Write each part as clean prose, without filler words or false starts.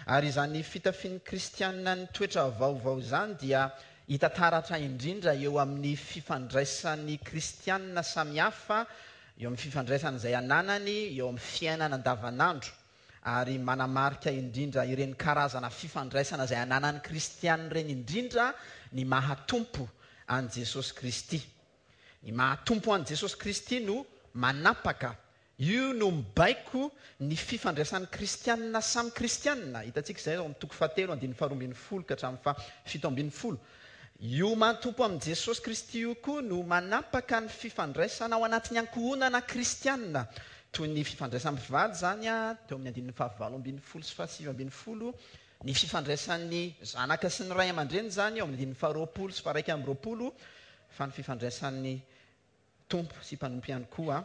Ary izany fitafian'ny kristiana ny toetra vaovao izany dia hita taratra indrindra eo amin'ny fifandraisan'ny kristiana samihafa, eo amin'ny fifandraisana izay ananany eo amin'ny fiainana andavanandro. Ary manamarika indrindra ireny karazana fifandraisana izay ananan'ny kristiana ireny indrindra ny maha Tompo an'i Jesosy Kristy. Ny maha Tompo an'i Jesosy Kristy no manapaka, io no mibaiko ny fifandraisan'ny kristiana samy kristiana. Hitantsika izay ao amin'ny toko fahatelo andininy faharoa ambin'ny folo ka hatramin'ny faha 17. Io maha Tompo amin'i Jesosy Kristy io koa no manapaka ny fifandraisana ao anatin'ny ankohonana kristiana, toy ny fifandraisan'ny mpivady izany teo amin'ny andininy faha-18 sy faha-19, ny fifandraisan'ny zanaka sy ny ray aman-dreny izany eo amin'ny andininy faha-20 sy faha-21, fa ny fifandraisan'ny Tompo sy mpanompo ihany koa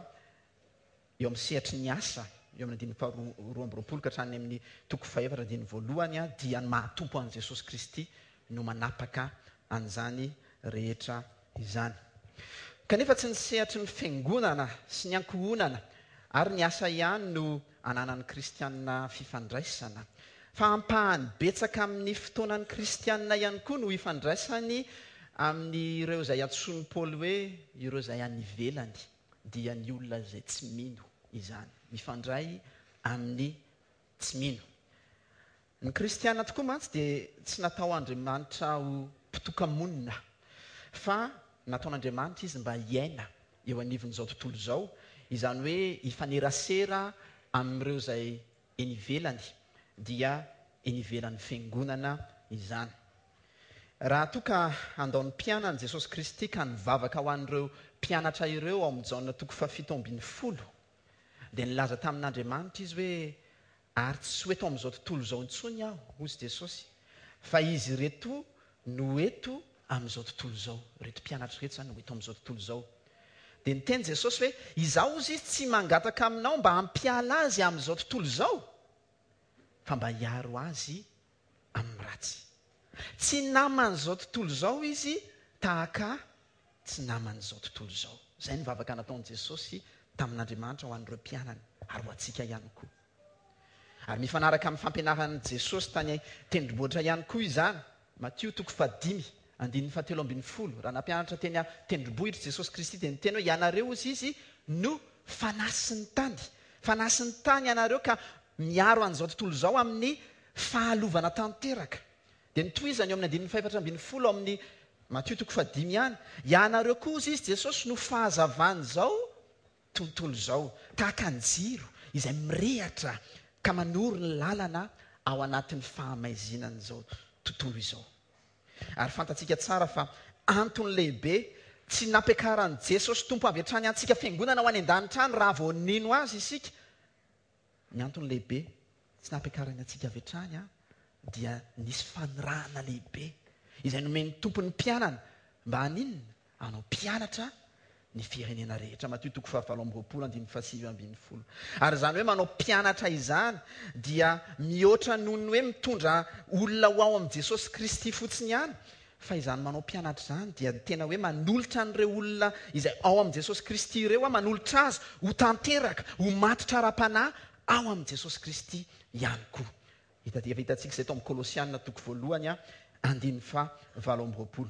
eo amin'ny sehatry ny asa, eo amin'ny andininy faha-22 ka hatrany amin'ny toko fahefatra andininy voalohany, dia ny maha-Tompo an'i Jesosy Kristy no manapaka an'izany rehetra izany. Kanefa tsy ny sehatry ny fiangonana sy ny ankohonana ary ny asa ihany no ananan'ny kristiana fifandraisana, fa ampahany betsaka amin'ny fotoanan'ny kristiana ihany koa no ifandraisany amin'ireo izay antsoin'i Paoly hoe ireo izay any ivelany, dia ny olona izay tsy mino izany. Mifandray amin'ny tsy mino. Ny kristiana tokoa mantsy dia tsy natao Andriamanitra ho mpitoka-monina, fa nataon'Andriamanitra izy mba hiaina eo anivon'izao tontolo izao, izany hoe hifanerasera amin'ireo izay eny ivelany, dia eny ivelan'ny fiangonana izany. Raha toa ka handao ny mpianany Jesosy Kristy ka nivavaka ho an'ireo mpianatra ireo ao amin'ny Jaona toko fahafito ambin'ny folo, dia nilaza tamin'Andriamanitra izy hoe, Ary tsy ho eto amin'izao tontolo izao intsony aho, hozy Jesosy, fa izy ireto no eto amin'izao tontolo izao. Ireto mpianatra ireto izany no eto amin'izao tontolo izao. Dia niteny Jesosy hoe, Izaho, hozy izy, tsy mangataka aminao mba hampiala azy amin'izao tontolo izao, fa mba hiaro azy amin'ny ratsy. Tsy naman'izao tontolo izao izy tahaka ahy tsy naman'izao tontolo izao. Izay ny vavaka nataon'i Jesosy tamin'Andriamanitra ho an'ireo mpianany ary ho antsika ihany koa. Ary mifanaraka amin'ny fampianaran'i Jesosy tany tendrombohitra ihany koa izany. Matio toko fahadimy, andininy fahatelo ambin'ny folo. Raha nampianatra teny tendrombohitra Jesosy Kristy dia niteny hoe ianareo hozy izy no fanasin'ny tany. Fanasin'ny tany ianareo ka miaro an'izao tontolo izao amin'ny fahalovana tanteraka. Dia notohizany eo amin'ny andininy fahefatra ambin'ny folo ao amin'ny Matio toko fahadimy ihany, Ianareo koa, hozy izy, Jesosy, no fahazavan'izao tontolo izao, tahaka ny jiro izay mirehatra ka manoro ny lalana ao anatin'ny fahamaizinan'izao tontolo izao. Ary fantatsika tsara fa antony lehibe tsy nampiakaran'i Jesosy Tompo avy hatrany antsika fiangonana ho any an-danitra any raha vao nino Azy isika, Ny antony lehibe tsy nampiakarany antsika avy hatrany dia nisy fanirahana lehibe izay nomen'ny Tompo ny mpianany mba haninona? Hanao mpianatra ny firenena rehetra. Matio toko fahavalo amby roapolo andininy fahasivy ambin'ny folo. Ary izany hoe manao mpianatra izany dia mihoatra noho ny hoe mitondra olona ho ao amin'i Jesosy Kristy fotsiny ihany, Fa izany manao mpianatra izany dia ny tena hoe manolotra an'ireo olona izay ao amin'i Jesosy Kristy ireo aho, manolotra azy ho tanteraka, ho matotra ara-panahy ao amin'i Jesosy Kristy ihany koa. Hita efa hitantsika izay tao amin'ny Kolosiana toko voalohany andininy faha 28.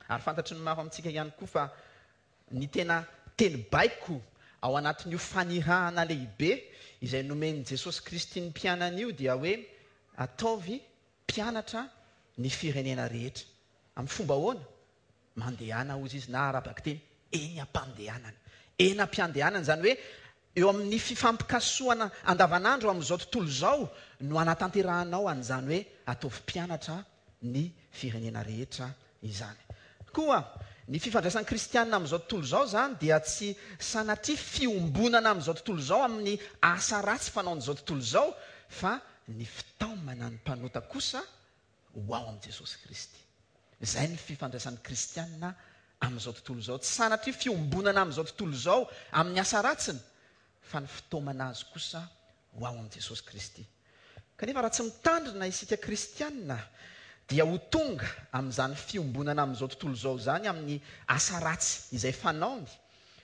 Ary fantatry ny maro amintsika ihany koa fa ny tena teny baiko ao anatin'io fanirahana lehibe izay nomen'i Jesosy Kristy ny mpianany io dia hoe ataovy mpianatra ny firenena rehetra. Amin'ny fomba ahoana? Mandehana, hozy izy, na ara-bakiteny, eny am-pandehanana. Eny am-piandehanana, izany hoe eo amin'ny fifampikasohana andavanandro amin'izao tontolo izao no anatanterahanao an'izany hoe ataovy mpianatra ny firenena rehetra izany. Koa ny fifandraisan'ny kristiana amin'izao tontolo izao izany dia tsy sanatria fiombonana amin'izao tontolo izao amin'ny asa ratsy fanaon'izao tontolo izao fa ny fitaomana ny mpanota kosa ho ao amin'i Jesosy Kristy. Izay ny fifandraisan'ny kristiana amin'izao tontolo izao. Tsy sanatria fiombonana amin'izao tontolo izao amin'ny asa ratsiny, fa ny fitaomana azy kosa ho ao amin'i Jesosy Kristy. Kanefa raha tsy mitandrina isika kristiana dia ho tonga amin'izany fiombonana amin'izao tontolo izao izany amin'ny asa ratsy izay fanaony.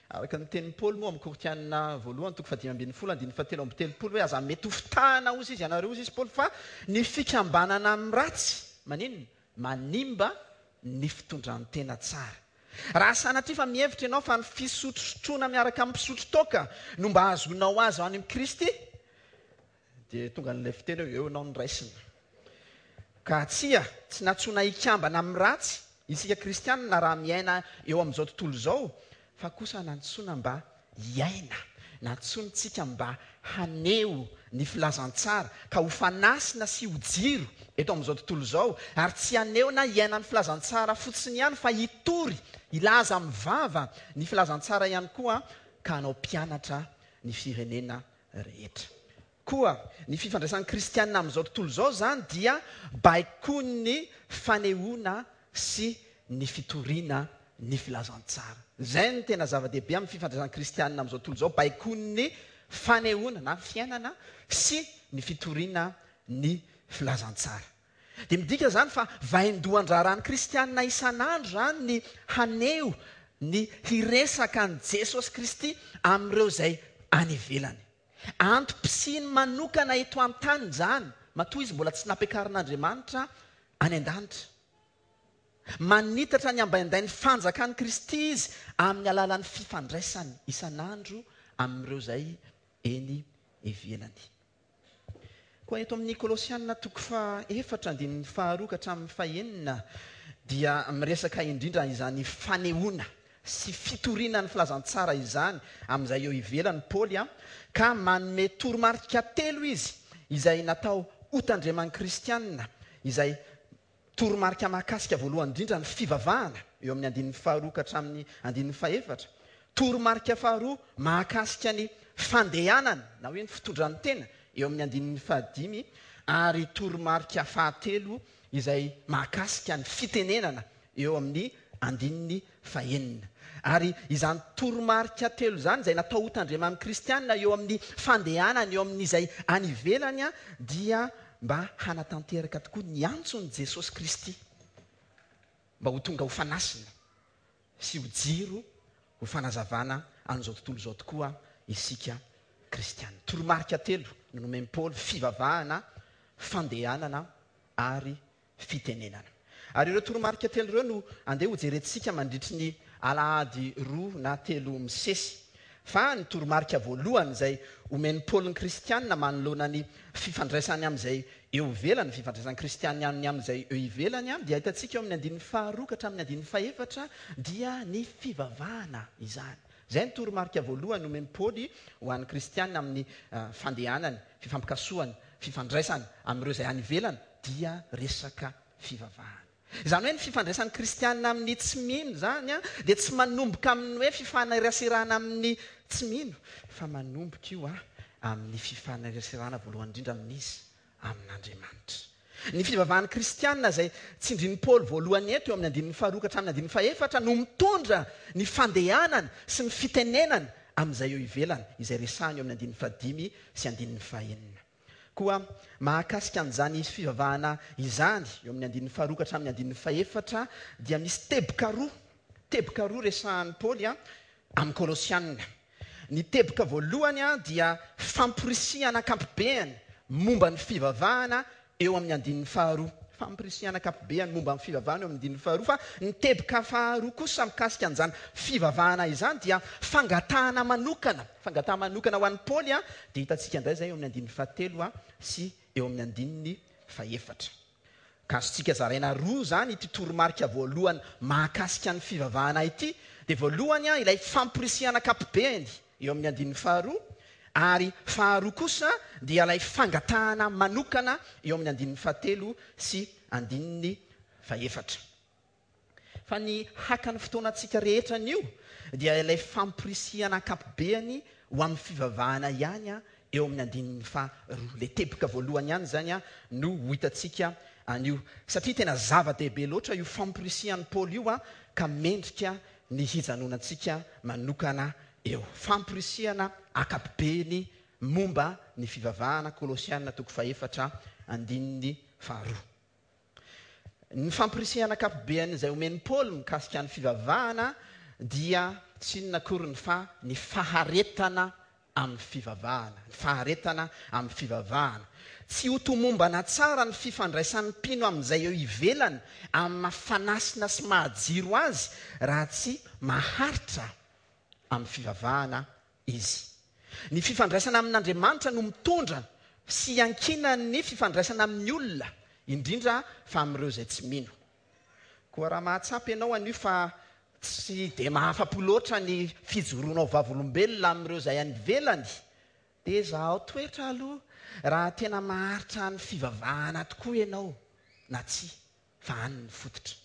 Araka ny tenin'i Paoly moa amin'ny Korintiana voalohany toko fahadimy ambin'ny folo andininy fahatelo amby telopolo hoe aza mety ho fitahana hozy izy ianareo hozy izy Paoly fa ny fikambanana amin'ny ratsy maninona? Manimba ny fitondran-tena tsara. Raha sanatria fa mihevitra ianao fa ny fisotrosotroana miaraka amin'ny mpisotro toaka no mba hahazoanao azy any amin'i Kristy dia tonga an'ilay fiteny hoe eo ianao no raisina. Ka tsia, tsy nantsoina hikambana amin'ny ratsy isika kristianina raha miaina eo amin'izao tontolo izao, fa kosa nantsoina mba hiaina. Nantsointsika mba haneho ny filazantsara, ka ho fanasina sy ho jiro eto amin'izao tontolo izao, ary tsy haneho na hiaina ny filazantsara fotsiny ihany, fa hitory, hilaza amin'ny vava ny filazantsara ihany koa, ka hanao mpianatra ny firenena rehetra. Koa ny fifandraisan'ny kristiana amin'izao tontolo izao izany dia baikoin'ny fanehoana sy ny fitoriana ny filazantsara. Izay no tena zava-dehibe amin'ny fifandraisan'ny kristiana amin'izao tontolo izao, baikoin'ny fanehoana na fiainana sy ny fitoriana ny filazantsara. Dia midika izany fa vaindohan-draharahan'ny kristiana isan'andro izany ny haneho ny hiresaka an'i Jesosy Kristy amin'ireo izay any ivelany. Antom-pisiany manokana eto an-tany izany, matoa izy mbola tsy nampiakarin'Andriamanitra any an-danitra. Manitatra ny ambaindain'ny fanjakan'i Kristy izy amin'ny alalan'ny fifandraisany isan'andro amin'ireo izay eny ivelany. Koa eto amin'ny Kolosiana toko fahaefatra andininy faharoa ka hatramin'ny fahenina dia miresaka indrindra izany fanehoana sy fitoriana ny filazantsara izany amin'izay eo ivelany Paoly ka manome toromarika telo izy izay natao hotandreman'ny kristiana izay Toromarika mahakasika voalohany indrindra ny fivavahana, eo amin'ny andininy faharoa ka hatramin'ny andininy fahefatra. Toromarika faharoa mahakasika ny fandehanana na hoe ny fitondran-tena, eo amin'ny andininy fahadimy. Ary toromarika fahatelo izay mahakasika ny fitenenana, eo amin'ny andininy fahenina. Ary izany toromarika telo izany izay natao hotandreman'ny kristiana eo amin'ny fandehanany eo amin'izay any ivelany dia mba hanatanteraka tokoa ny antson'i Jesosy Kristy mba ho tonga ho fanasina sy ho jiro ho fanazavana an'izao tontolo izao tokoa isika kristiana. Toromarika telo no nomen'i Paoly, fivavahana, fandehanana ary fitenenana. Ary ireo toromarika telo ireo no andeha hojerentsika mandritry ny alahady roa na telo misesy. Fa ny toromarika voalohany izay omen'i Paoly ny kristiana manoloana ny fifandraisany amin'izay eo ivelany, ny fifandraisan'ny kristiana ny amin'izay eo ivelany, dia hitantsika eo amin'ny andininy faharoa ka hatramin'ny andininy fahefatra, dia ny fivavahana izany. Izay no toromarika voalohany omen'i Paoly ho an'ny kristiana amin'ny fandehanany, fifampikasohany, fifandraisany amin'ireo izay any ivelany, dia resaka fivavahana. Izany hoe ny fifandraisan'ny kristiana amin'ny tsy mino izany dia tsy manomboka amin'ny hoe fifaneraserana amin'ny tsy mino fa manomboka io amin'ny fifaneraserana voalohany indrindra amin'iza? Amin'Andriamanitra. Ny fivavahan'ny kristiana izay tsindrin'i Paoly voalohany eto eo amin'ny andininy faharoa ka hatramin'ny andininy fahefatra no mitondra ny fandehanana sy ny fitenenana amin'izay eo ivelany izay resahiny eo amin'ny andininy fahadimy sy andininy fahenina. Koa mahakasika an'izany fivavahana izany, eo amin'ny andininy faharoa ka hatramin'ny andininy fahefatra, dia misy teboka roa, teboka roa resahan'i Paoly amin'ny Kolosiana. Ny teboka voalohany dia famporisihana ankapobeany momba ny fivavahana eo amin'ny andininy faharoa. Fampirisihana ankapobeany momba ny fivavahana eo amin'ny andininy faharoa. Fa ny teboka faharoa kosa mikasika an'izany fivavahana izany dia fangatahana manokana. Fangatahana manokana ho an'i Paoly dia hitantsika indray izay eo amin'ny andininy fahatelo sy eo amin'ny andininy fahefatra. Ka azontsika zaraina roa izany ity toromarika voalohany mahakasika ny fivavahana ity, dia voalohany ilay famporisihana ankapobeny eo amin'ny andininy faharoa, ary faharoa kosa dia ilay fangatahana manokana eo amin'ny andininy fahatelo sy andininy fahefatra. Fa ny haka ny fotoanantsika rehetra anio dia ilay famporisihana ankapobeany ho amin'ny fivavahana ihany eo amin'ny andininy faharoa. Ilay teboka voalohany ihany izany no ho hitantsika anio. Satria tena zava-dehibe loatra io famporisihan'i Paoly io ka mendrika ny hijanonantsika manokana eo. Famporisihana ankapobeny momba ny fivavahana, Kolosiana toko fahefatra andininy faharoa. Ny famporisihana ankapobeany izay omen'i Paoly mikasika ny fivavahana dia tsy inona akory ny fa ny faharetana amin'ny fivavahana. Ny faharetana amin'ny fivavahana. Tsy ho tomombana tsara ny fifandraisan'ny mpino amin'izay eo ivelany amin'ny maha fanasina sy maha jiro azy raha tsy maharitra amin'ny fivavahana izy. Ny fifandraisana amin'Andriamanitra no mitondra sy iankinan'ny fifandraisana amin'ny olona, indrindra fa amin'ireo izay tsy mino. Koa raha mahatsapa ianao anio fa tsy dia mahafa-po loatra ny fijoroanao vavolombelona amin'ireo izay any ivelany, dia zahao toetra aloha raha tena maharitra any fivavahana tokoa ianao na tsia, fa any ny fototra.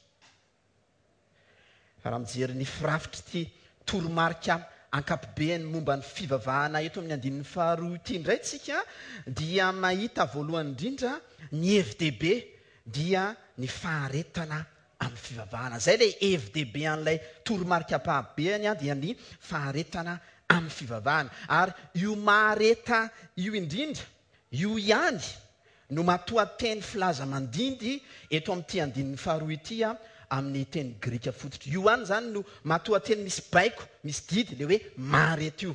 Fa raha mijery ny firafitr'ity toromarika ankapobeny momba ny fivavahana eto amin'ny andininy faharoa ity indray tsika dia mahita voalohany indrindra ny hevi-dehibe dia ny faharetana amin'ny fivavahana. Izay ilay hevi-dehibe an'ilay toromarika ampahabehany dia ny faharetana amin'ny fivavahana. Ary io mahareta io indrindra, io ihany no matoanteny filaza mandindy eto amin'ity andininy faharoa ity amin'ny teny grika fototra. Io ihany izany no matoanteny misy baiko, misy didy, ilay hoe mahareta io.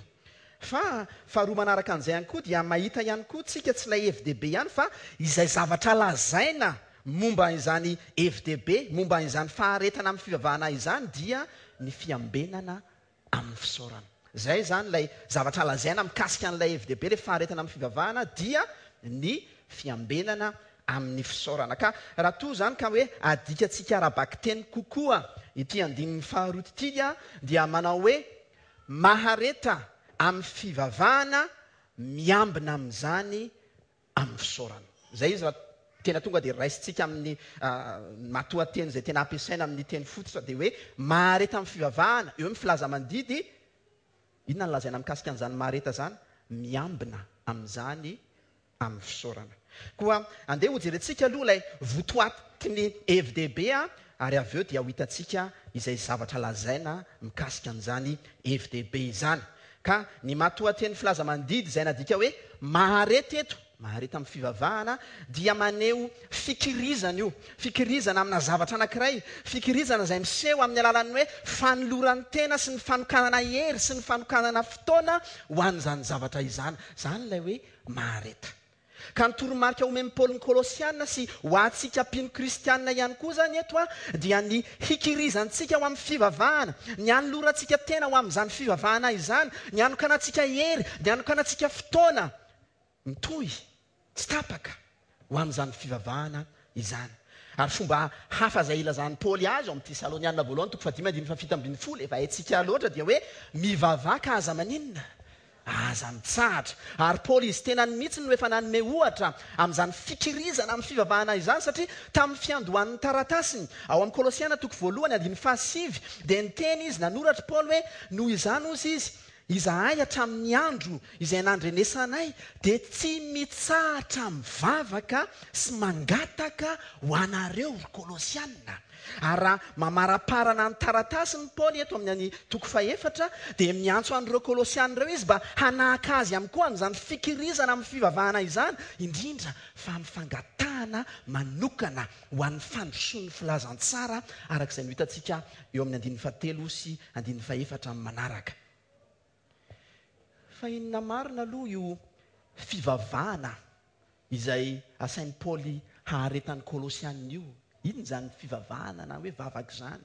Fa faharoa manaraka an'izay ihany koa dia mahita ihany koa tsika tsy ilay hevi-dehibe ihany fa izay zavatra lazaina momba izany hevi-dehibe, momba izany faharetana amin'ny fivavahana izany dia ny fiambenana amin'ny fisaorana. Izay izany ilay zavatra lazaina mikasika an'ilay hevi-dehibe, ilay faharetana amin'ny fivavahana dia ny fiambenana amin'ny fisaorana. Ka raha toa izany ka hoe adikantsika ara-bakiteny kokoa ity andininy faharoa ity dia manao hoe Mahareta amin'ny fivavahana, miambina amin'izany amin'ny fisaorana. Izay izy raha tena tonga dia raisintsika amin'ny matoanteny izay tena ampiasaina amin'ny teny fototra dia hoe mahareta amin'ny fivavahana, eo ny filaza mandidy, inona no lazaina mikasika an'izany mahareta izany? Miambina amin'izany amin'ny fisaorana. Koa andeha hojerentsika aloha ilay votoatin'ny hevi-dehibe ary avy eo dia ho hitantsika izay zavatra lazaina mikasika an'izany hevi-dehibe izany. Ka ny matoanteny filaza mandidy izay nadika hoe mahareta eto, mahareta amin'ny fivavahana, dia maneho fikirizana io, fikirizana amina zavatra anankiray, fikirizana izay miseho amin'ny alalan'ny hoe fanoloran-tena sy ny fanokanana hery sy ny fanokanana fotoana ho an'izany zavatra izany. Izany ilay hoe mahareta. Ka ny toromarika omen'i Paoly ny Kolosiana sy ho antsika mpino kristiana ihany koa izany eto dia ny hikirizantsika ho amin'ny fivavahana, ny hanolorantsika tena ho amin'izany fivavahana izany, ny hanokanantsika hery, ny hanokanantsika fotoana mitohy tsy tapaka ho amin'izany fivavahana izany. Ary fomba hafa izay ilazan'i Paoly azy ao amin'ny Tesaloniana voalohany toko fahadimy andininy fahafito ambin'ny folo, efa haintsika loatra, dia hoe mivavaha ka aza maninona? Aza mitsahatra. Ary Paoly izy tenany mihitsy no efa nanome ohatra amin'izany fikirizana amin'ny fivavahana izany, satria tamin'ny fiandohan'ny taratasiny, ao amin'ny Kolosiana toko voalohany andininy fahasivy, dia niteny izy, nanoratra i Paoly hoe, Noho izany, hozy izy, Izahay hatramin'ny andro izay nandrenesanay dia tsy mitsahatra mivavaka sy mangataka ho anareo, ry Kolosiana. Ary raha mamaraparana ny taratasiny Paoly eto amin'ny any toko fahefatra, dia miantso an'ireo Kolosiana ireo izy mba hanahaka azy ihany koa amin'izany fikirizana amin'ny fivavahana izany, indrindra fa amin'ny fangatahana manokana ho an'ny fandrosoan'ny filazantsara, araka izay nohitantsika eo amin'ny andininy fahatelo sy andininy fahefatra amin'ny manaraka. Fa inona marina aloha io fivavahana izay asain'i Paoly haharetan'ny Kolosiana io? Inona izany fivavahana na hoe vavaka izany?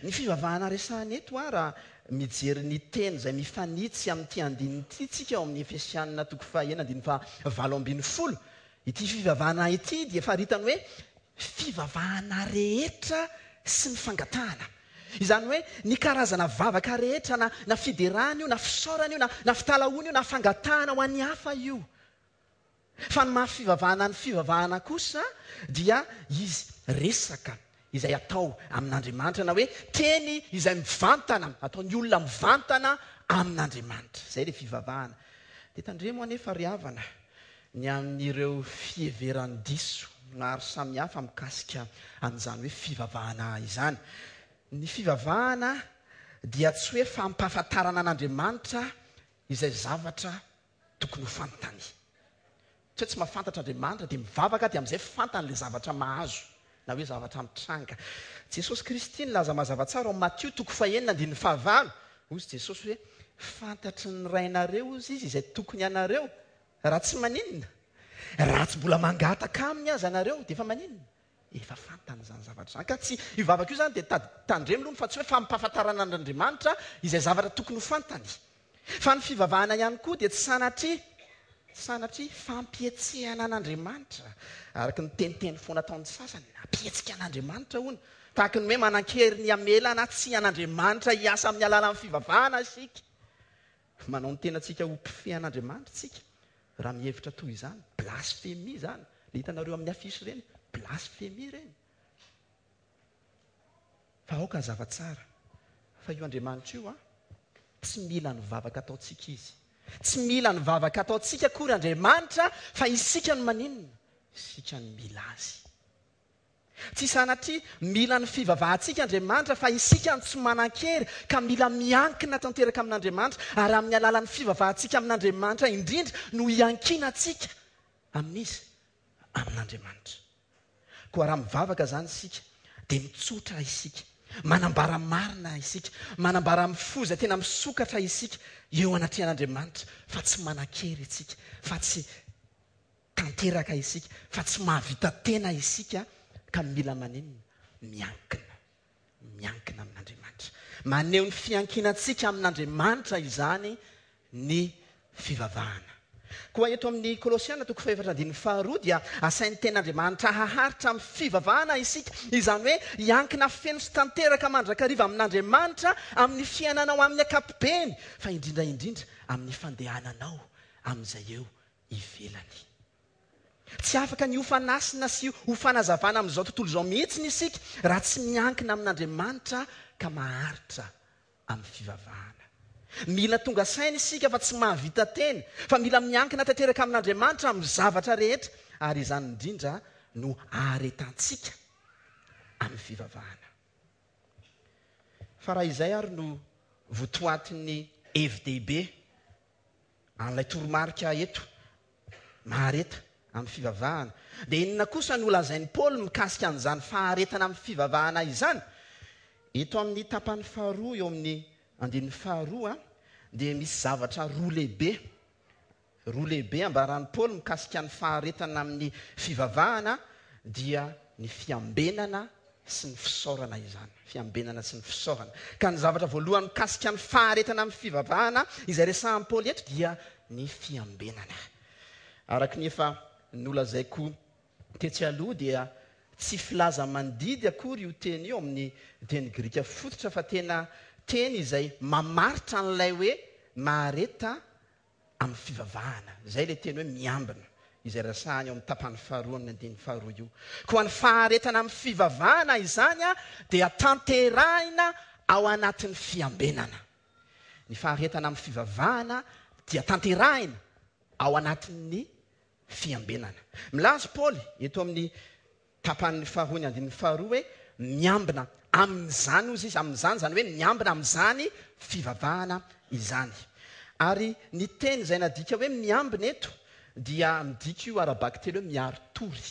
Ny fivavahana resahina eto, raha mijery ny teny izay mifanitsy amin'ity andininy ity isika ao amin'ny Efesiana toko fahenina andininy fahavalo ambin'ny folo, ity fivavahana ity dia faritany hoe fivavahana rehetra sy ny fangatahana. Izany hoe ny karazana vavaka rehetra na na fiderana io na fisaorana io na na fitalahoana io na fangatahana ho an'ny hafa io. Fa ny maha fivavahana ny fivavahana kosa dia izy resaka izay atao amin'Andriamanitra na hoe teny izay mivantana, ataon'ny olona mivantana amin'Andriamanitra. Izay ilay fivavahana. Dia tandremo anefa ry havana ny amin'ireo fiheveran-diso maro samihafa mikasika an'izany hoe fivavahana izany. Ny fivavahana dia tsy hoe fampahafantarana an'Andriamanitra izay zavatra tokony ho fantany. Tsy hoe tsy mahafantatra Andriamanitra dia mivavaka dia amin'izay fantany ilay zavatra mahazo na hoe zavatra mitranga. Jesosy Kristy nilaza mazava tsara ao Matio toko fahenina andininy fahavalo. Hozy Jesosy hoe, Fantatry ny Rainareo, hozy Izy, izay tokony anareo, raha tsy maninona? Raha tsy mbola mangataka Aminy aza nareo, dia efa maninona? Efa fantany izany zavatra izany. Ka tsy, io vavaka io izany dia tandremo aloha fa tsy hoe fampahafantarana an'Andriamanitra izay zavatra tokony ho fantany. Fa ny fivavahana ihany koa dia tsy sanatria, sanatria fampihetsehana an'Andriamanitra, araka ny teniteny foana ataon'ny sasany, hampihetsika an'Andriamanitra hono. Tahaka ny hoe manan-kery ny hamela na tsia an'Andriamanitra hiasa amin'ny alalan'ny fivavahana isika. Manao ny tenantsika ho mpifehy an'Andriamanitra isika raha mihevitra toy izany. Blasfemia izany. Ilay hitanareo amin'ny affiche ireny, blasfemia ireny. Fa aoka hazava tsara fa io Andriamanitra io an, tsy mila ny vavaka ataontsika Izy. Tsy mila ny vavaka ataontsika akory Andriamanitra fa isika no maninona? Isika no mila Azy. Tsy sanatria mila ny fivavahantsika Andriamanitra fa isika no tsy manan-kery ka mila miankina tanteraka amin'Andriamanitra ary amin'ny alalan'ny fivavahantsika amin'Andriamanitra indrindra no hiankinantsika amin'iza? Amin'Andriamanitra. Koa raha mivavaka izany isika dia mitsotra isika, manambara marina isika, manambara amin'ny fo izay tena misokatra isika eo anatrehan'Andriamanitra fa tsy manan-kery isika, fa tsy tanteraka isika fa tsy mahavita tena isika ka mila maninona? Miankina. Miankina amin'Andriamanitra. Maneho ny fiankinantsika amin'Andriamanitra izany ny fivavahana. Koa eto amin'ny Kolosiana toko fahefatra andininy faharoa dia asain'ny Tenin'Andriamanitra haharitra amin'ny fivavahana isika, izany hoe hiankina feno sy tanteraka mandrakariva amin'Andriamanitra amin'ny fiainanao amin'ny ankapobeny, fa indrindra indrindra amin'ny fandehananao amin'izay eo ivelany. Tsy afaka ny ho fanasina sy ho fanazavana amin'izao tontolo izao mihitsiny isika raha tsy miankina amin'Andriamanitra ka maharitra amin'ny fivavahana. Mila tonga saina isika fa tsy mahavita tena, fa mila miankina tanteraka amin'Andriamanitra amin'ny zavatra rehetra, ary izany indrindra no aharetantsika amin'ny fivavahana. Fa raha izay ary no votoatin'ny hevi-dehibe An'ilay toromarika eto, mahareta amin'ny fivavahana. Dia inona kosa no lazain'i Paoly mikasika an'izany faharetana amin'ny fivavahana izany? Eto amin'ny tapany faharoa, eo amin'ny andininy faharoa, dia misy zavatra roa lehibe, roa lehibe ambaran'i Paoly mikasika ny faharetana amin'ny fivavahana, dia ny fiambenana sy ny fisaorana izany. Fiambenana sy ny fisaorana. Ka ny zavatra voalohany mikasika ny faharetana amin'ny fivavahana izay resahan'i Paoly eto dia ny fiambenana. Araka ny efa nolazaiko tetsy aloha dia tsy filaza mandidy akory io teny io amin'ny teny grika fototra fa tena teny izay mamaritra an'ilay hoe mahareta amin'ny fivavahana. Izay ilay teny hoe miambina, izay resahiny ao amin'ny tapany faharoa amin'ny andininy faharoa io. Koa ny faharetana amin'ny fivavahana izany dia tanterahina ao anatin'ny fiambenana. Ny faharetana amin'ny fivavahana dia tanterahina ao anatin'ny fiambenana. Milaza Paoly eto amin'ny Tapany faharoa ny andininy faharoa hoe miambina amin'izany hozy izy, amin'izany izany hoe miambina amin'izany fivavahana izany. Ary ny teny izay nadika hoe miambina eto dia midika io ara-bakiteny hoe miari-tory.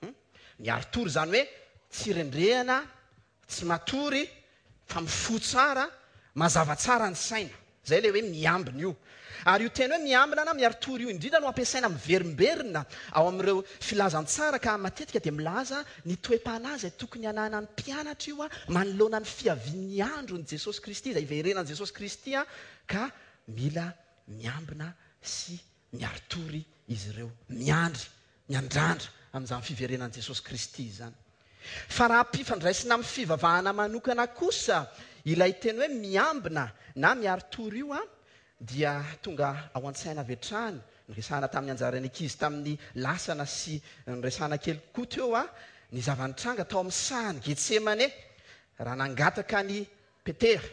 Hum? Miari-tory izany hoe tsy rendrehana, tsy matory, fa mifoha tsara, mazava tsara ny saina. Izay ilay hoe miambina io. Ary io teny hoe miambina na miari-tory io indrindra no ampiasaina miverimberina ao amin'ireo filazantsara ka matetika dia milaza ny toe-panahy izay tokony hananan'ny mpianatra io manoloana ny fiavian'ny andron'i Jesosy Kristy, izay hiverenan'i Jesosy Kristy ka mila miambina sy miari-tory izy ireo, miandry miandrandra amin'izany fiverenan'i Jesosy Kristy izany. Fa raha ampifandraisina amin'ny fivavahana manokana kosa ilay teny hoe miambina na miari-tory io dia tonga ao an-tsaina avy hatrany, niresahana tamin'ny anjaran'ny ankizy tamin'ny lasana sy niresahana kely koa teo ny zava-nitranga tao amin'ny sahan'i Getsemane raha nangataka an'i Petera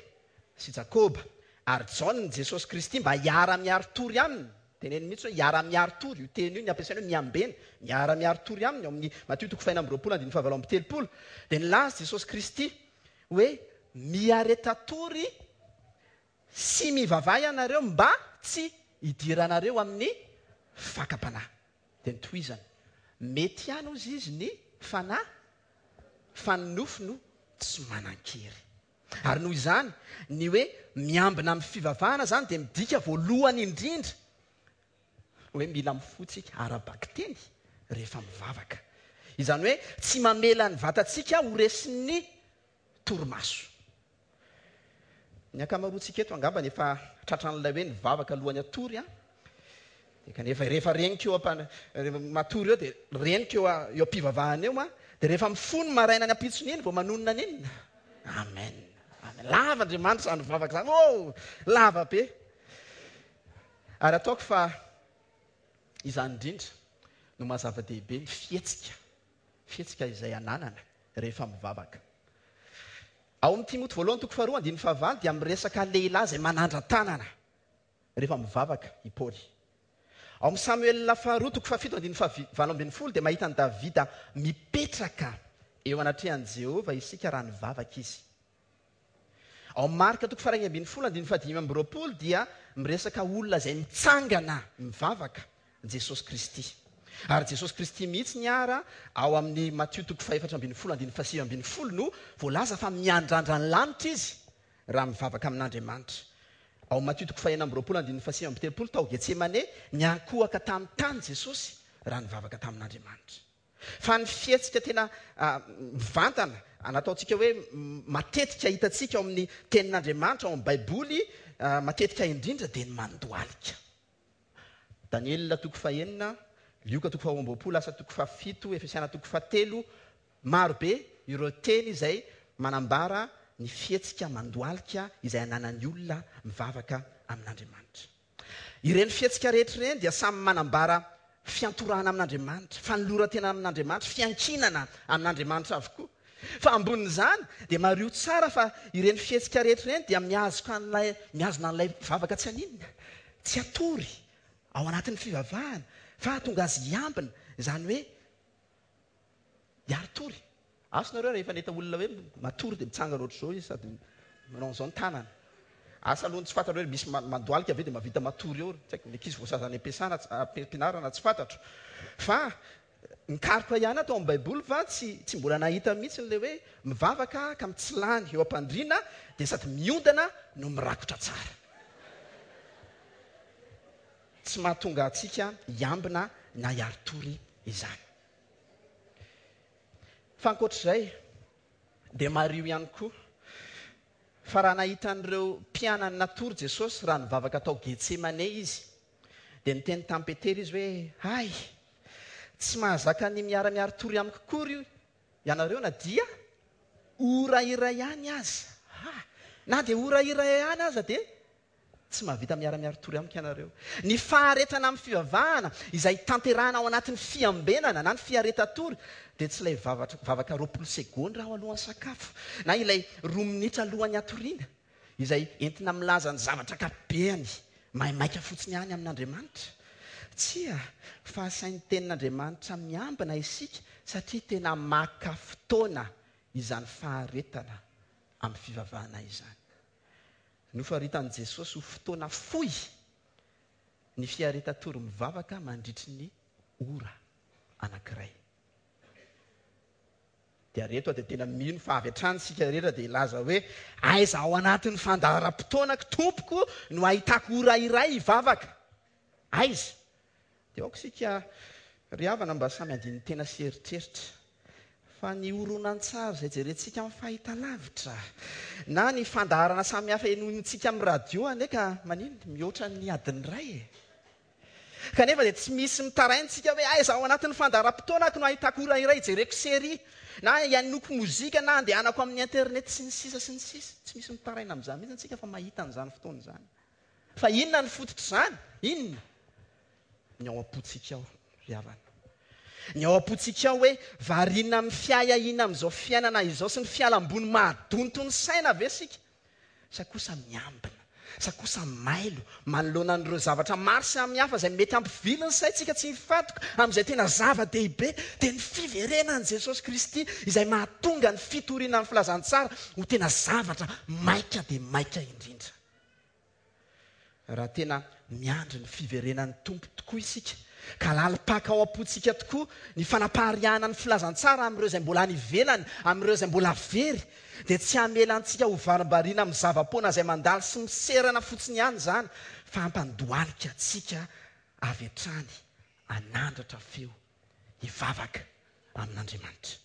sy Jakoba ary Jaona Jesosy Kristy mba hiara-miari-tory aminy. Teneniny mihitsy hoe hiara-miari-tory, io teny io ny ampiasainy hoe miambena, miara-miari-tory aminy ao amin'ny Matio toko fahenina amby roapolo andininy fahavalo amby telopolo. Dia nilaza Jesosy Kristy hoe miareta-tory sy mivavaha ianareo mba tsy hidiranareo amin'ny fakam-panahy. Dia notohizany, mety ihany hozy izy ny fanahy fa ny nofo no tsy manan-kery. Ary noho izany, ny hoe miambina amin'ny fivavahana izany dia midika voalohany indrindra hoe mila mifoha tsika ara-bakiteny rehefa mivavaka. Izany hoe tsy mamela ny vatantsika ho resin'ny torimaso. Ny ankamaroantsika eto angambany efa tratran'ilay hoe nivavaka alohan'ny hatory an. Dia kanefa rehefa reniko eo am rehefa matory eo dia reniko eo eo am-pivavahana eo an, dia rehefa mifoha ny maraina ny ampitson'iny vao manonona an'inona? Amen. Amen. Lava Andriamanitra izany vavaka izany. Oh, lava be. Ary ataoko fa izany indrindra no maha zava-dehibe ny fihetsika, fihetsika izay ananana rehefa mivavaka. Ao amin'ny Timoty voalohany toko faharoa andininy fahavalo dia miresaka lehilahy izay manandra-tanana rehefa mivavaka i Paoly. Ao amin'ny Samoela faharoa toko fahafito andininy faha-18 dia mahita an'i Davida mipetraka eo anatrehan'i Jehovah isika raha nivavaka izy. Ao amin'ny Marka toko faha-11 andininy faha-25 dia miresaka olona izay mitsangana mivavaka Jesosy Kristy. Ary Jesosy Kristy mihitsy ny ara ao amin'ny Matio toko faha-14 andininy faha-19 no voalaza fa miandrandra ny lanitra izy raha mivavaka amin'Andriamanitra. Ao amin'ny Matio toko faha-26 andininy faha-39 tao Getsemane niankohoka tamin'ny tany Jesosy raha nivavaka tamin'Andriamanitra. Fa ny fihetsika tena mivantana, nataontsika hoe matetika hitantsika ao amin'ny Tenin'Andriamanitra, ao amin'ny Baiboly, matetika indrindra dia ny mandohalika. Daniela toko fahenina, Lioka toko faharoa amby roapolo, Asa toko fahafito, Efesiana toko fahatelo, maro be ireo teny izay manambara ny fihetsika mandohalika izay ananan'ny olona mivavaka amin'Andriamanitra. Ireny fihetsika rehetra ireny dia samy manambara fiantorahana amin'Andriamanitra, fanoloran-tena amin'Andriamanitra, fiankinana amin'Andriamanitra avokoa. Fa ambonin'izany dia mariho tsara fa ireny fihetsika rehetra ireny dia mihazoka an'ilay, mihazona an'ilay mpivavaka tsy haninona, tsy hatory ao anatin'ny fivavahana fa hahatonga azy hiambina, izany hoe Hiari-tory. Asa nareo rehefa nahita olona hoe matory dia mitsangana ohatr'izao izy sady manao an'izao ny tanany. Asa aloha ny tsy fantatro hoe misy mandohalika ve dia mahavita matory eo. Tsy haiko, ny ankizy voasazy any am-piasana, am-pianarana tsy fantatro. Fa nikaroka ihany aho tao amin'ny Baiboly fa tsy tsy mbola nahita mihitsy ilay hoe mivavaka ka mitsilany eo am-pandriana dia sady miondana no mirakotra tsara. Tsy mahatonga antsika hiambina na hiari-tory izany. Fa ankoatr'izay, dia mariho ihany koa fa raha nahita an'ireo mpianany natory Jesosy raha nivavaka tao Getsemane izy, dia niteny tamin'i Petera izy hoe, Hay! Tsy mahazaka ny miara-miari-tory amiko akory ianareo na dia ora iray ihany aza. Ha! Na dia ora iray ihany aza dia Tsy mahavita miara-miari-tory amiko ianareo. Ny faharetana amin'ny fivavahana, izay tanterahina ao anatin'ny fiambenana na ny fiaretan-tory, dia tsy ilay vavaka 20 segondra aho alohan'ny sakafo, na ilay roa minitra alohan'ny hatoriana, izay entina milaza ny zavatra ankapobeny maimaika fotsiny ihany amin'Andriamanitra. Tsia, fa asain'ny Tenin'Andriamanitra miambina isika satria tena maka fotoana izany faharetana amin'ny fivavahana izany. Nofaritan'i Jesosy ho fotoana fohy ny fiaretan-tory mivavaka mandritry ny ora anankiray. Dia ary eto aho dia tena mino fa avy hatrany isika rehetra dia hilaza hoe, Aiza ao anatin'ny fandaharam-potoanako, Tompoko, no ahitako ora iray hivavaka? Aiza? Dia aoka isika ry havana mba samy handini-tena sy hieritreritra fa ny horonantsary izay jerentsika amin'ny fahitalavitra na ny fandaharana samihafa henointsika amin'ny radio anie ka maninona? Mihoatra ny adiny iray e! Kanefa dia tsy misy mitaraina isika hoe aiza ao anatin'ny fandaharam-potoanako no ahitako ora iray hijereko série na hihainoako mozika na handehanako amin'ny internet sy ny sisa sy ny sisa. Tsy misy mitaraina amin'izany mihitsy isika fa mahita an'izany fotoana izany. Fa inona no fototr'izany? Inona? Ny ao am-pontsika ao, ry havana. Ny ao am-pontsika ao hoe variana amin'ny fiahiahiana amin'izao fiainana izao sy ny fialam-boly mahadonto ny saina ve isika? Sa kosa miambina? Sa kosa mailo manoloana an'ireo zavatra maro samihafa izay mety hampivily ny saintsika tsy hifantoka amin'izay tena zava-dehibe, dia ny fiverenan'i Jesosy Kristy izay mahatonga ny fitoriana ny filazantsara ho tena zavatra maika dia maika indrindra. Raha tena miandry ny fiverenan'ny Tompo tokoa isika, Ka lalim-paka ao am-pontsika tokoa ny fanapariahana ny filazantsara amin'ireo izay mbola any ivelany, amin'ireo izay mbola very, dia tsy hamela antsika ho varimbariana amin'ny zava-poana izay mandalo sy miserana fotsiny ihany izany, fa hampandohalika antsika avy hatrany hanandratra feo hivavaka amin'Andriamanitra.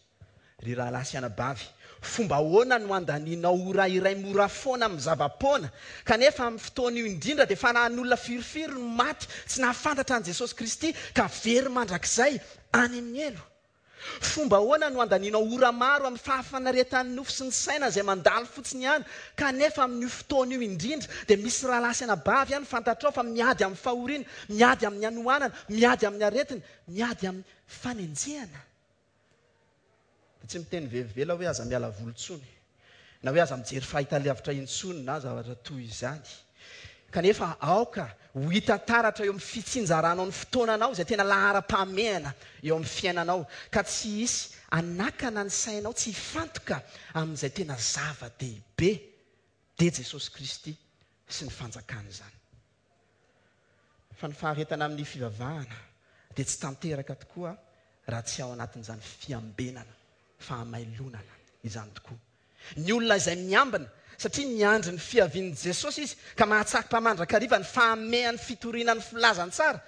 Ry rahalahy sy anabavy, fomba ahoana no handanianao ora iray mora foana amin'ny zava-poana, kanefa amin'ny fotoana io indrindra dia fanahin'olona firifiry no maty tsy nahafantatra an'i Jesosy Kristy ka very mandrakizay any amin'ny helo? Fomba ahoana no handanianao ora maro amin'ny fahafinaretan'ny nofo sy ny saina izay mandalo fotsiny ihany, kanefa amin'io fotoana io indrindra dia misy rahalahy sy anabavy any fantatrao fa miady amin'ny fahoriana, miady amin'ny hanoanana, miady amin'ny aretina, miady amin'ny fanenjehana? Dia tsy miteny velively aho hoe aza miala voly intsony, na hoe aza mijery fahitalavitra intsony na zavatra toy izany. Kanefa aoka ho hita taratra eo amin'ny fitsinjaranao ny fotoananao izay tena laharam-pahamehana eo amin'ny fiainanao, ka tsy hisy hanakana ny sainao tsy hifantoka amin'izay tena zava-dehibe, dia Jesosy Kristy sy ny fanjakany izany. Fa ny faharetana amin'ny fivavahana dia tsy tanteraka tokoa raha tsy ao anatin'izany fiambenana, fahamailonana izany tokoa. Ny olona izay miambina, satria miandry ny fiavian'i Jesosy izy, ka mahatsapa mandrakariva ny fahamehan'ny fitoriana ny filazantsara,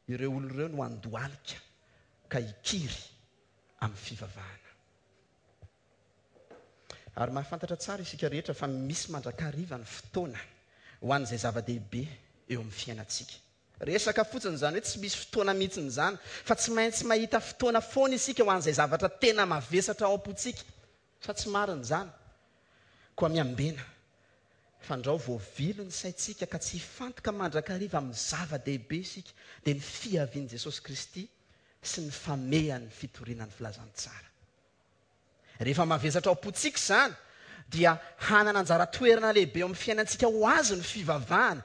ireo olona ireo no handohalika ka hikiry amin'ny fivavahana. Ary mahafantatra tsara isika rehetra fa misy mandrakariva ny fotoana ho an'izay zava-dehibe eo amin'ny fiainantsika. Resaka fotsiny izany hoe tsy misy fotoana mihitsy izany, fa tsy maintsy mahita fotoana foana isika ho an'izay zavatra tena mavesatra ao am-pontsika. Sa tsy marina izany? Koa miambena, fandrao voavily ny saintsika ka tsy hifantoka mandrakariva amin'ny zava-dehibe isika, dia ny fiavian'i Jesosy Kristy sy ny famehan'ny fitoriana ny filazantsara. Rehefa mavesatra ao am-pontsika izany, dia hanana anjara toerana lehibe eo amin'ny fiainantsika ho azy ny fivavahana,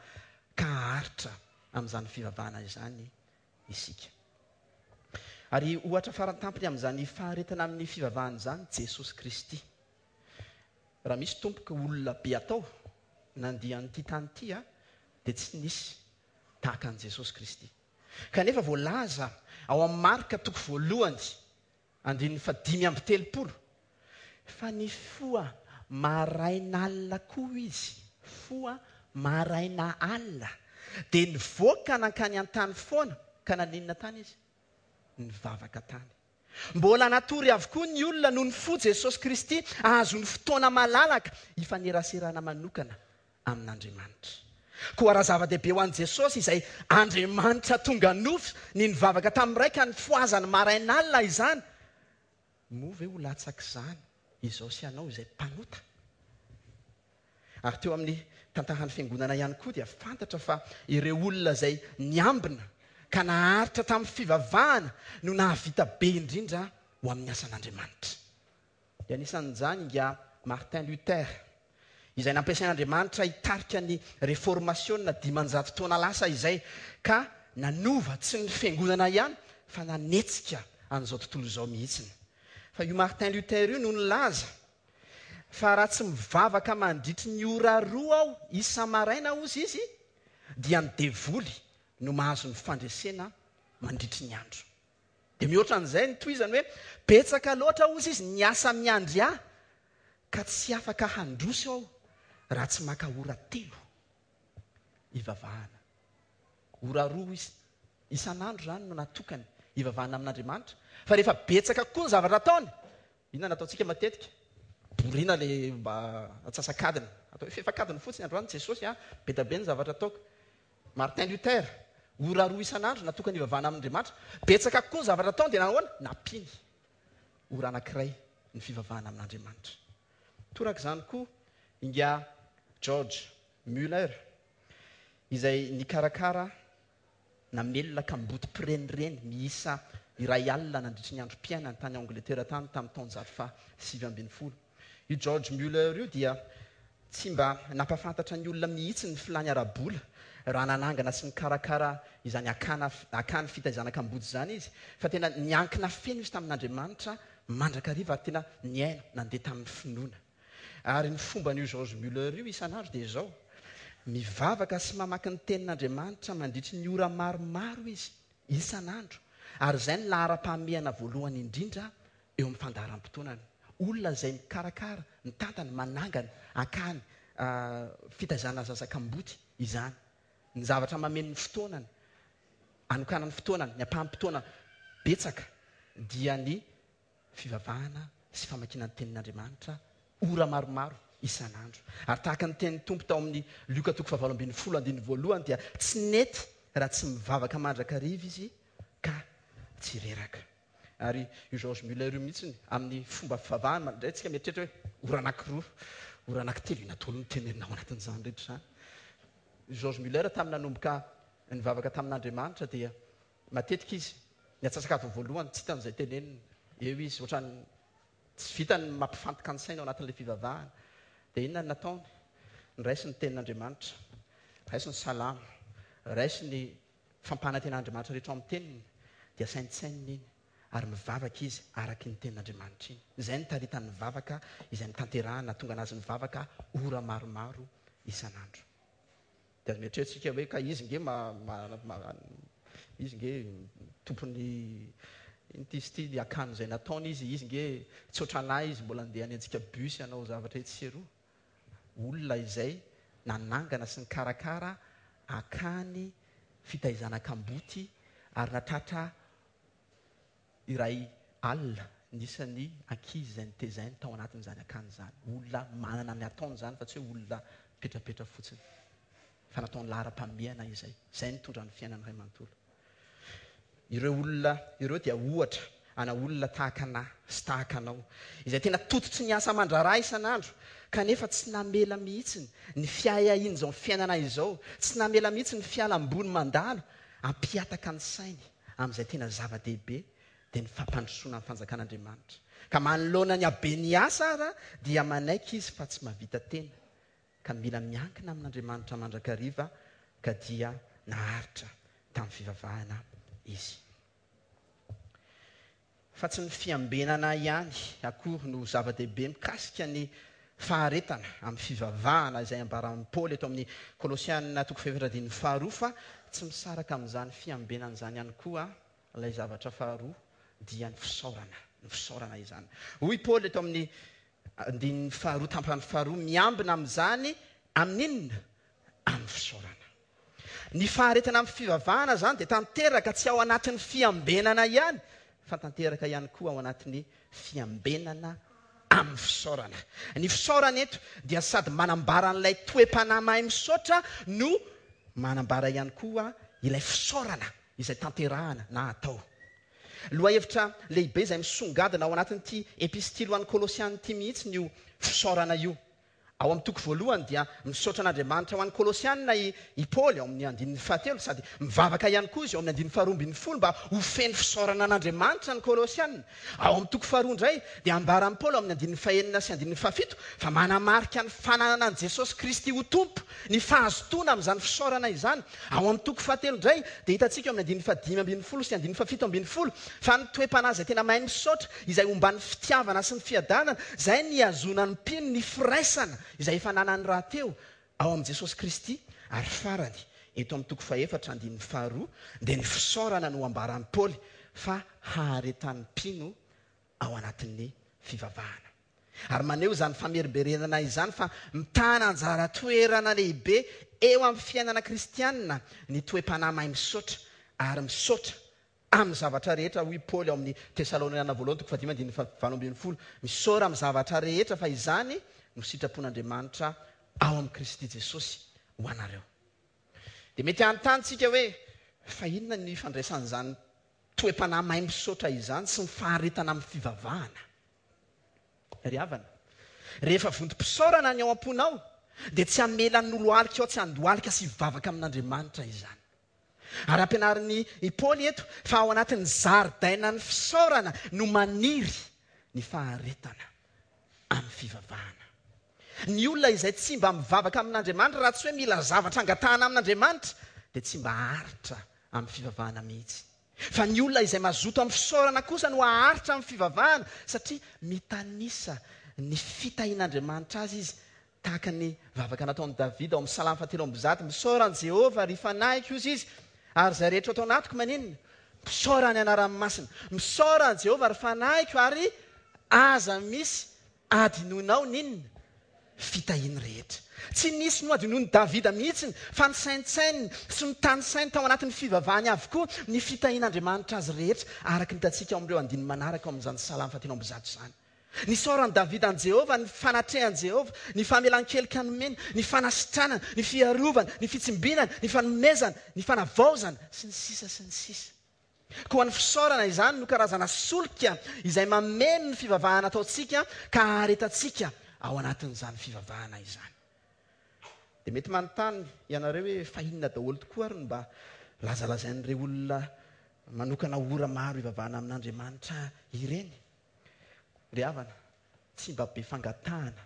ka haharitra amin'izany fivavahana izany isika. Ary ohatra farantampony amin'izany faharetana amin'ny fivavahana izany Jesosy Kristy. Raha misy tompoko olona be atao nandia an'ity tany ity, dia tsy nisy tahaka an'i Jesosy Kristy. Kanefa voalaza ao amin'ny Marka toko voalohany Andininy fahadimy amby telopolo, Fa nifoha marain'alina koa izy, foha maraina alina, dia nivoaka nankany an-tany foana, ka naninona tany izy? Nivavaka tany. Mbola natory avokoa ny olona noho nifoha Jesosy Kristy hahazoany fotoana malalaka hifaneraserana manokana amin'Andriamanitra. Koa raha zava-dehibe ho an'i Jesosy izay Andriamanitra tonga nofo ny nivavaka tamin'ny Ray ka nifohazany marain'alina izany, moa ve ho latsak'izany izao sy ianao izay mpanota? Ary teo amin'ny tantaran'ny Fiangonana ihany koa dia fantatra fa ireo olona izay niambina ka naharitra tamin'ny fivavahana no nahavita be indrindra ho amin'ny asan'Andriamanitra. Dia anisan'izany ingahy Martin Luther, izay nampiasain'Andriamanitra hitarika ny Reformasiona 500 taona lasa izay, ka nanova tsy ny fiangonana ihany fa nanetsika an'izao tontolo izao mihitsiny. Fa io Martin Luther io no nilaza fa raha tsy mivavaka mandritry ny ora roa aho isa-maraina hozy izy dia ny devoly no mahazo ny fandresena mandritry ny andro. Dia mihoatra an'izay ny tohizany hoe, betsaka loatra hozy izy ny asa miandry ahy ka tsy afaka handroso aho raha tsy maka ora telo hivavahana. Ora roa isan'andro izany no natokany hivavahana amin'Andriamanitra. Fa rehefa betsaka kokoa ny zavatra ataony, inona no ataontsika matetika? Borina ilay mba antsasak'adiny. Atao hoe fefak'adiny fotsiny androany Jesosy a, be dia be ny zavatra ataoko. Martin Luther, ora roa isan'andro natokany hivavahana amin'Andriamanitra. Betsaka kokoa ny zavatra ataony dia nahoana? Nampiany ora anankiray ny fivavahana amin'Andriamanitra. Torak'izany koa ingahy George Müller izay nikarakara namelona kamboty mpirenireny miisa 1000 nandritry ny androm-piainany tany Angletera tany tamin'ny taonjato faha 19. Io George Müller io dia tsy mba nampahafantatra ny olona mihitsy ny filàny ara-bola raha nanangana sy nikarakara izany akana akany fitaizana kamboty izany izy, fa tena niankina feno izy tamin'Andriamanitra mandrakariva ary tena niaina, nandeha tamin'ny finoana. Ary ny fomban'io George Müller io isan'andro dia izao, mivavaka sy mamaky ny tenin'Andriamanitra mandritry ny ora maromaro izy. isan'andro, ary izay no laharam-pahamehana voalohany indrindra eo amin'ny fandaharam-potoanany. Olona izay mikarakara, mitantana, manangana akany fitaizana zaza kamboty izany. Ny zavatra mameno ny fotoanany, anokanany fotoana, ny ampaham-potoana betsaka dia ny fivavahana sy famakiana ny Tenin'Andriamanitra ora maromaro isan'andro. Ary tahaka ny tenin'ny Tompo tao amin'ny Lioka toko fahavalo 18 andininy voalohany dia tsy nety raha tsy mivavaka mandrakariva izy ka tsy reraka. Ary io George Muller io mihitsy amin'ny fomba fivavahany, indray tsika mieritreritra hoe ora anankiroa, ora anankitelo, inona daholo no tenenina ao anatin'izany rehetra izany. George Muller tamin'ny nanomboka nivavaka tamin'Andriamanitra dia matetika izy ny antsasak'adiny voalohany tsy hitany izay tenenina. Eo izy ohatran'ny tsy vitany ny mampifantoka ny saina ao anatin'ilay fivavahana. Dia inona no nataony? Niraisiny ny tenin'Andriamanitra, raisiny ny salamo, raisiny ny fampanantenan'Andriamanitra rehetra ao amin'ny teniny, dia saintsaininy iny ary mivavaka izy araka iny tenin'Andriamanitra iny. Izay no taritan'ny vavaka izay notanterahana, nahatonga anazy nivavaka ora maromaro isan'andro. Dia aza mieritreritra isika hoe ka izy nge ma, ma, ma, izy nge tompon'ny inona ity izy ity, ny akany izay nataony izy, izy nge tsy ohatran'ahy izy mbola andeha hanenjika bus hanao zavatra etsy sy eroa. Olona izay nanangana sy nikarakara akany fitaizana kamboty ary natratra iray alina ny isan'ny ankizy izay notezainy tao anatin'izany akany izany. Olona manana ny ataony izany fa tsy hoe olona mipetrapetra fotsiny. Fa nataony laharam-pahamehana izay. Izay nitondra ny fiainany iray manontolo. Ireo olona ireo dia ohatra ana olona tahaka anà sy tahaka anao, izay tena tototry ny asa aman-draharaha isan'andro, kanefa tsy namela mihitsy ny fiahiahian'izao fiainana izao, tsy namela mihitsy ny fialam-boly mandalo hampihataka ny sainy amin'izay tena zava-dehibe, dia ny fampandrosoana ny fanjakan'Andriamanitra. Ka manoloana ny haben'ny asa ara dia manaiky izy fa tsy mahavita tena, ka mila miankina amin'Andriamanitra mandrakariva, ka dia naharitra tamin'ny fivavahana izy. Fa tsy ny fiambenana ihany akory no zava-dehibe mikasika ny faharetana amin'ny fivavahana izay ambaran'i Paoly eto amin'ny Kolosiana toko fahefatra andininy faharoa fa tsy misaraka amin'izany fiambenana izany ihany koa ilay zavatra faharoa dia ny fisaorana, ny fisaorana izany. Hoy Paoly eto amin'ny andininy faharoa tampany faharoa, miambina amin'izany amin'inona? Amin'ny fisaorana. Ny faharetana amin'ny fivavahana izany dia tanteraka tsy ao anatin'ny fiambenana ihany fa tanteraka ihany koa ao anatin'ny fiambenana amin'ny fisaorana. Ny fisaorana eto dia sady manambara an'ilay toe-panahy mahay misaotra no manambara ihany koa ilay fisaorana izay tanterahana na atao. Lohahevitra lehibe izay misongadina ao anatin'ity epistily ho an'ny Kolosiana ity mihitsy io fisaorana io. Ao amin'ny toko voalohany dia misaotra an'Andriamanitra ho an'ny Kolosiana i i Paoly ao amin'ny andininy fahatelo sady mivavaka ihany koa izy ao amin'ny andininy faharoa 12 mba ho feno fisaorana an'Andriamanitra ny Kolosiana. Ao amin'ny toko faharoa indray dia ambaran'i Paoly ao amin'ny andininy fahenina sy andininy fahafito fa manamarika ny fananana an'i Jesosy Kristy ho Tompo ny fahazotoana amin'izany fisaorana izany. Ao amin'ny toko fahatelo indray dia hitantsika eo amin'ny andininy fahadimy 12 sy andininy fahafito 12 fa ny toe-panahy izay tena mahay misaotra, izay omban'ny fitiavana sy ny fiadanana, izay nihazonan'ny mpino ny firaisana izay efa ananany rahateo ao amin'i Jesosy Kristy, ary farany, eto amin'ny toko fahefatra andininy faharoa dia ny fisaorana no ambaran'i Paoly fa haharetan'ny mpino ao anatin'ny fivavahana. Ary maneho izany famerimberenana izany fa mitana anjara toerana lehibe eo amin'ny fiainana kristianina ny toe-panahy mahay misaotra ary misaotra amin'ny zavatra rehetra, hoy Paoly ao amin'ny Tesaloniana voalohany toko fahadimy andininy fahavalo 12, misaora amin'ny zavatra rehetra fa izany no sitrapon'Andriamanitra ao amin'i Kristy Jesosy ho anareo. Dia mety hanontany tsika hoe, fa inona no ifandraisan'izany toe-panahy mahay misaotra izany sy ny faharetana amin'ny fivavahana? Ry havana, rehefa vontom-pisaorana ny ao am-ponao, dia tsy hamela ny lohalika ao tsy handohalika sy hivavaka amin'Andriamanitra izany. Ary ampianarin'i i Paoly eto fa ao anatin'ny zaridainan'ny fisaorana no maniry ny faharetana amin'ny fivavahana. Ny olona izay tsy mba mivavaka amin'Andriamanitra raha tsy hoe mila zavatra angatahana amin'Andriamanitra dia tsy mba haharitra amin'ny fivavahana mihitsy. Fa ny olona izay mazoto amin'ny fisaorana kosa no haharitra amin'ny fivavahana satria mitanisa ny fitahian'Andriamanitra azy izy tahaka ny vavaka nataon'i Davida ao amin'ny Salamo fahatelo amby zato, Misaora an'i Jehovah, ry fanahiko, hozy izy, ary izay rehetra ato anatiko maninona? Misaora ny anarany masina. Misaora an'i Jehovah, ry fanahiko, ary aza misy adinoinao n'inona fitahiany rehetra. Tsy nisy nohadinoin'i Davida mihitsy fa nisaintsaininy sy notanisainy tao anatin'ny fivavahany avokoa ny fitahian'Andriamanitra azy rehetra, araka ny hitantsika ao amin'ireo andininy manaraka ao amin'izany Salamo fahatelo amby zato izany. Nisaoran'i Davida an'i Jehovah ny fanatrehan'i Jehovah, ny famelan-keloka nomeny, ny fanasitranana, ny fiarovana, ny fitsimbinana, ny fanomezana, ny fanavaozana, sy ny sisa sy ny sisa. Koa ny fisaorana izany no karazana solika izay mameno ny fivavahana ataontsika ka aharetantsika ao anatin'izany fivavahana izany. Dia mety manontany ianareo hoe fa inona daholo tokoa ary no mba lazalazain'ireo olona manokana ora maro hivavahana amin'Andriamanitra ireny? Ry havana, tsy mba be fangatahana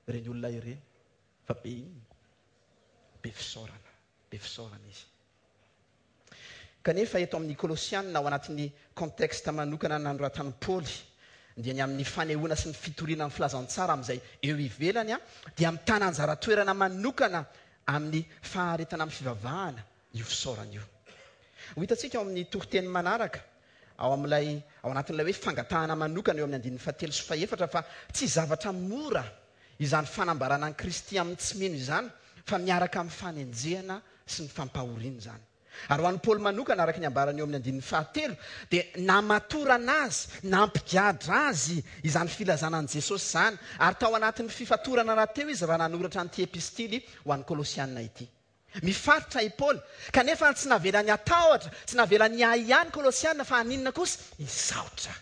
ireny olona ireny fa be inona? Be fisaorana, be fisaorana izy. Kanefa eto amin'ny Kolosiana, ao anatin'ny contexte manokana nanoratan'i Paoly, dia ny amin'ny fanehoana sy ny fitoriana ny filazantsara amin'izay eo ivelany, dia mitana anjara toerana manokana amin'ny faharetana amin'ny fivavahana io fisaorana io. Ho hitantsika ao amin'ny toriteny manaraka, ao amin'ilay, ao anatin'ilay hoe fangatahana manokana eo amin'ny andininy fahatelo sy fahefatra fa tsy zavatra mora izany fanambarana an'i Kristy amin'ny tsy mino izany fa miaraka amin'ny fanenjehana sy ny fampahoriana izany. Ary ho an'i Paoly manokana, araka ny ambarany eo amin'ny andininy fahatelo, dia namatorana azy, nampigadra azy izany filazana an'i Jesosy izany, ary tao anatin'ny fifatorana rahateo izy raha nanoratra an'ity epistily ho an'ny Kolosiana ity. Mifaritra i Paoly, kanefa tsy navelany hatahotra, tsy navelany hiahiahy ny Kolosiana, fa haninona kosa? Hisaotra.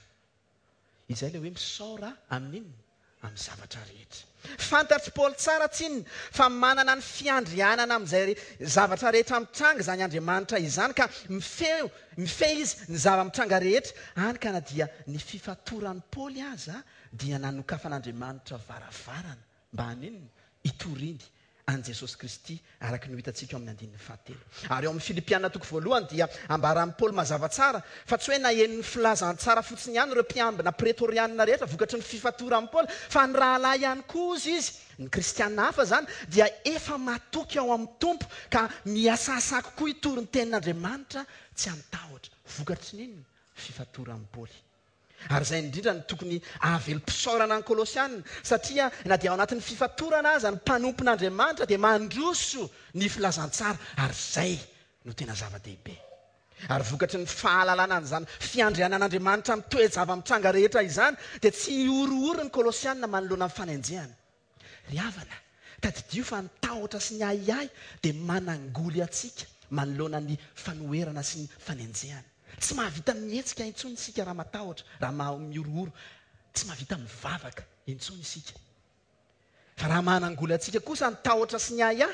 Izay ilay hoe misaora amin'inona? Amin'ny zavatra rehetra. Fantatr'i Paoly tsara tsinona fa manana ny fiandrianana amin'izay zavatra rehetra mitranga izany Andriamanitra izany, ka mifehy, mifehy izy ny zava-mitranga rehetra, hany ka na dia ny fifatoran'i Paoly aza dia nanokafan'Andriamanitra varavarana Mba haninona? Hitoriany an'i Jesosy Kristy, araka ny ho hitantsika ao amin'ny andininy fahatelo. Ary ao amin'ny Filipiana toko voalohany dia ambaran'i Paoly mazava tsara fa tsy hoe naheno ny filazantsara fotsiny ihany ireo mpiambina pretorianina rehetra vokatry ny fifatoran'i Paoly, fa ny rahalahy ihany koa, hozy izy, ny kristiana hafa izany, dia efa matoky ao amin'ny Tompo ka mihasahasaha kokoa hitory ny tenin'Andriamanitra tsy amin-tahotra. Vokatry ny inona? Fifatoran'i Paoly. Ary izay indrindra no tokony hahavelom-pisaorana ny Kolosiana, satria na dia ao anatin'ny fifatorana aza ny mpanompon'Andriamanitra dia mandroso ny filazantsara, ary izay no tena zava-dehibe. Ary vokatry ny fahalalana an'izany fiandrianan'Andriamanitra amin'ny toe-java-mitranga rehetra izany, dia tsy hihorohoro ny Kolosiana manoloana ny fanenjehana. Ry havana, tadidio fa ny tahotra sy ny ahiahy dia manangoly antsika manoloana ny fanoherana sy ny fanenjehana. Tsy mahavita mihetsika intsony isika raha matahotra, raha mihorohoro. Tsy mahavita mivavaka intsony isika. Fa raha manangoly antsika kosa ny tahotra sy ny ahiahy,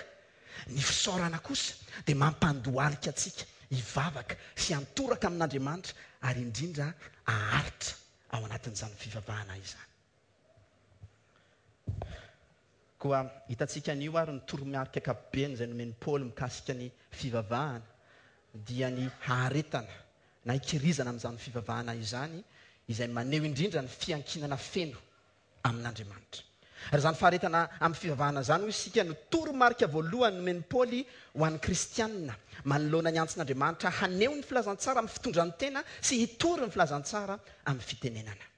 ny fisaorana kosa dia mampandohalika antsika hivavaka sy hiantoraka amin'Andriamanitra ary indrindra haharitra ao anatin'izany fivavahana izany. Koa hitantsika anio ary ny toromarika ankapobeny izay nomen'i Paoly mikasika ny fivavahana, dia ny haharetana na hikirizana amin'izany fivavahana izany, izay maneho indrindra ny fiankinana feno amin'Andriamanitra. Ary izany faharetana amin'ny fivavahana izany, hoy isika, no toromarika voalohany nomen'i Paoly ho an'ny kristiana, manoloana ny antson'Andriamanitra haneho ny filazantsara amin'ny fitondran-tena sy hitory ny filazantsara amin'ny fitenenana.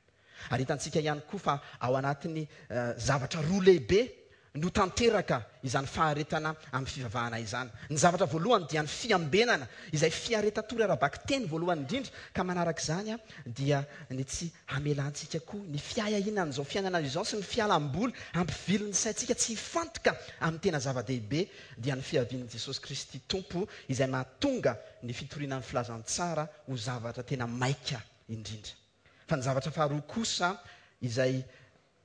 Ary hitantsika ihany koa fa ao anatin'ny zavatra roa lehibe no tanteraka izany faharetana amin'ny fivavahana izany. Ny zavatra voalohany dia ny fiambenana, izay fiaretan-tory ara-bakiteny voalohany indrindra, ka manaraka izany dia ny tsy hamelantsika koa ny fiahiahiana an'izao fiainana izao sy ny fialam-boly hampivily ny saintsika tsy hifantoka amin'ny tena zava-dehibe, dia ny fiavian'i Jesosy Kristy Tompo izay mahatonga ny fitoriana ny filazantsara ho zavatra tena maika indrindra. Fa ny zavatra faharoa kosa izay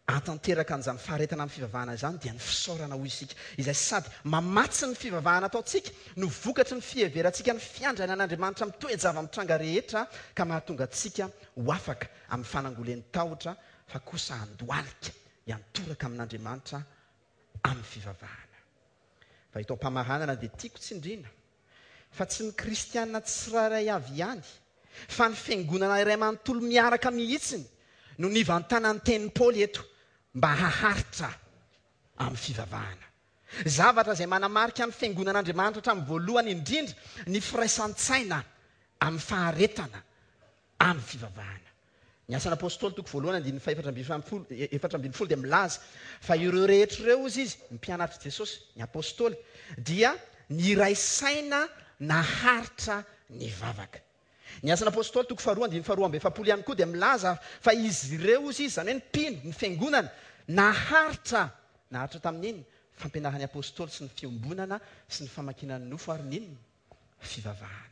ahatanteraka an'izany faharetana amin'ny fivavahana izany dia ny fisaorana hoy isika, izay sady mamatsy ny fivavahana ataontsika no vokatry ny fiheverantsika ny fiandrianan'Andriamanitra amin'ny toe-java-mitranga rehetra ka mahatonga antsika ho afaka amin'ny fanangolen'ny tahotra fa kosa handohalika hiantoraka amin'Andriamanitra amin'ny fivavahana. Fa eto am-pamaranana dia tiako tsindriana fa tsy ny kristiana tsirairay avy ihany, fa ny fiangonana iray manontolo miaraka mihitsiny no nivantanan'ny tenin'i Paoly eto mba haharitra amin'ny fivavahana. Zavatra izay manamarika ny fiangonan'Andriamanitra hatramin'ny voalohany indrindra ny firaisan-tsaina. Amin'ny faharetana amin'ny fivavahana. Ny Asan'ny Apostoly toko voalohany andininy fahefatra ambin'ny folo, 14 dia milaza fa ireo rehetra ireo, hozy izy, ny mpianatr'i Jesosy, ny Apostoly, dia niray saina naharitra nivavaka. Ny Asan'ny Apostoly toko faharoa andininy faharoa amby 40 ihany koa dia milaza fa izy ireo, hozy izy, izany hoe ny mpino, ny fiangonana, naharitra, naharitra tamin'ny inona? Fampianaran'ny Apostoly sy ny fiombonana sy ny famakiana ny nofo ary ny inona? Fivavahana.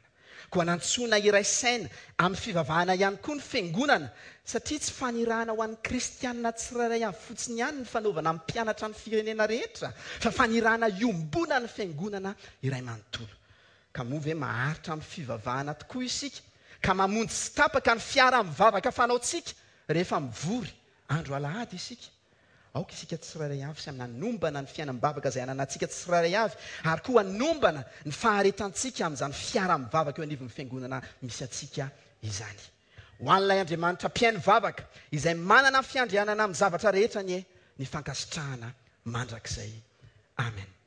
Koa nantsoina hiray saina amin'ny fivavahana ihany koa ny fiangonana, satria tsy fanirahana ho an'ny kristiana tsirairay avy fotsiny ihany ny fanaovana mpianatra ny firenena rehetra, fa fanirahana iombonan'ny fiangonana iray manontolo. Ka moa ve maharitra amin'ny fivavahana tokoa isika, ka mamonjy tsy tapaka ny fiaraha-mivavaka fanaontsika rehefa mivory andro alahady isika? Aoka isika tsirairay avy samy hanombana ny fiainam-bavaka izay ananantsika tsirairay avy, ary koa hanombana ny faharetantsika amin'izany fiaraha-mivavaka eo anivon'ny fiangonana misy antsika izany. Ho an'ilay Andriamanitra mpihaino vavaka, izay manana fiandrianana amin'ny zavatra rehetra anie ny fankasitrahana mandrakizay. Amen.